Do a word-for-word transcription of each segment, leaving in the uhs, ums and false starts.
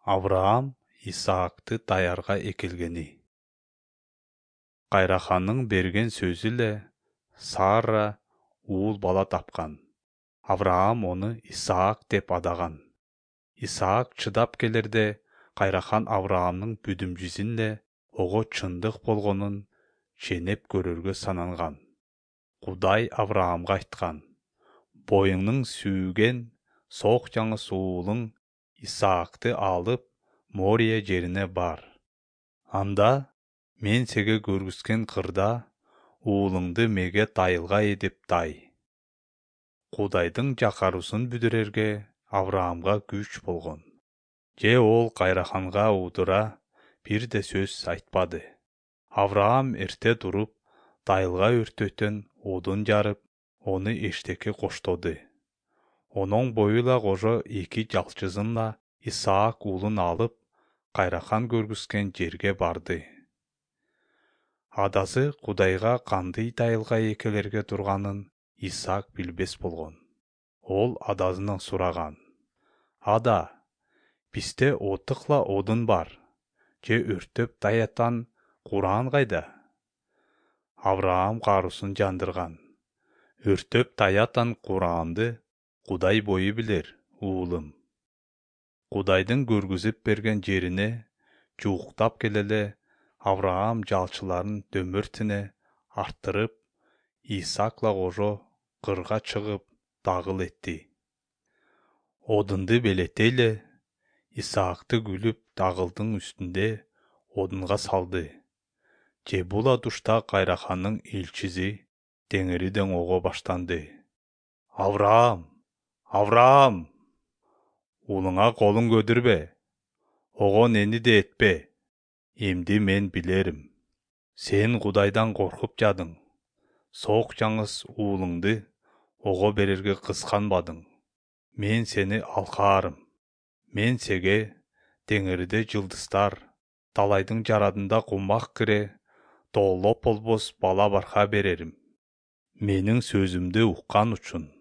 Авраам Исаакты даярга экелгени. Кайраханның берген сөзү эле Сара уул бала тапкан. Авраам оны Исаак деп адаган. Исаак чыдап келерде Кайрахан Авраамдын бүдүмчүсүн эле ого чындык болгонун ченеп көрөргө сананган. Кудай Авраамга айткан: боюңнун сүйген сок жаңы уулуң Исаакты алып Мория жерине бар. Анда мен сеге көргүзгөн кырда уулуңду меге дайылга эдип дай. Кудайдын жакаруусун бүдүрөргө Авраамга күч болгон. Же ол Кайраханга удура бир да сөз айтпады. Авраам эрте туруп, дайылга өртөтөн одун жарып, ону эштекке коштоду. Онун боюла кожо эки жалчызынла Исаак уулун алып, Кайрахан көргүзгөн жерге барды. Адасы Кудайга кандай дайылга экелерге турганын Исаак билбес болгон. Ол адасынан сураган: Ада, бизде отукла одун бар, же өртөп даятан Кураан кайда? Авраам каруусун жандырган: Өртөп даятан Кураанды Кудай бою билер, уулум. Кудайдын көргүзүп берген жерине жууктап келеле Авраам жалчыларын дөмөртүнө арттырып, Исаакла кожо кырга чыгып дагыл этти. Одунду белете эле Исаакты күлүп дагылдын үстүндө одунга салды. Же була тушта Кайраханның элчиси теңириден ого баштанды: Авраам! Авраам! Уулуңа колуң көтүрбө, огон эни да этпе. Эмди мен билерим. Сен Кудайдан коркуп жадың. Сок жаңыс уулуңду ого берерге кысканбадың. Мен сени алкаарым. Мен сеге теңириде жылдыздар, талайдын жарадында кумак кире, тоолоп болбос бала барка берерим. Менин сөзүмдү уккан үчүн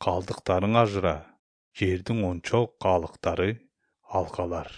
калдыктарың ажыра, жердин ончок калыктары алкалар.